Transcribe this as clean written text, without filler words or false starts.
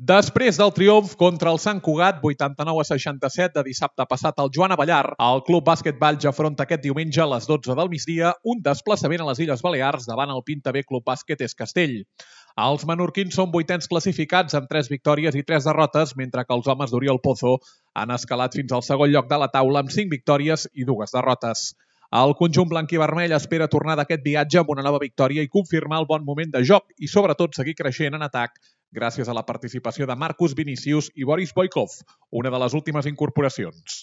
Després del triomf contra el Sant Cugat, 89-67 de dissabte passat al Joan Abellar, el Club Bàsquet Valls afronta aquest diumenge a les 12 del migdia un desplaçament a les Illes Balears davant el Pinta B Club Bàsquet Es Castell. Els menorquins són 8ens classificats amb 3 victòries i 3 derrotes, mentre que els homes d'Oriol Pozo han escalat fins al segon lloc de la taula amb 5 victòries i 2 derrotes. El conjunt blanc i vermell espera tornar d'aquest viatge amb una nova victòria i confirmar el bon moment de joc i, sobretot, seguir creixent en atac gràcies a la participació de Marcus Vinicius i Boris Boykov, una de les últimes incorporacions.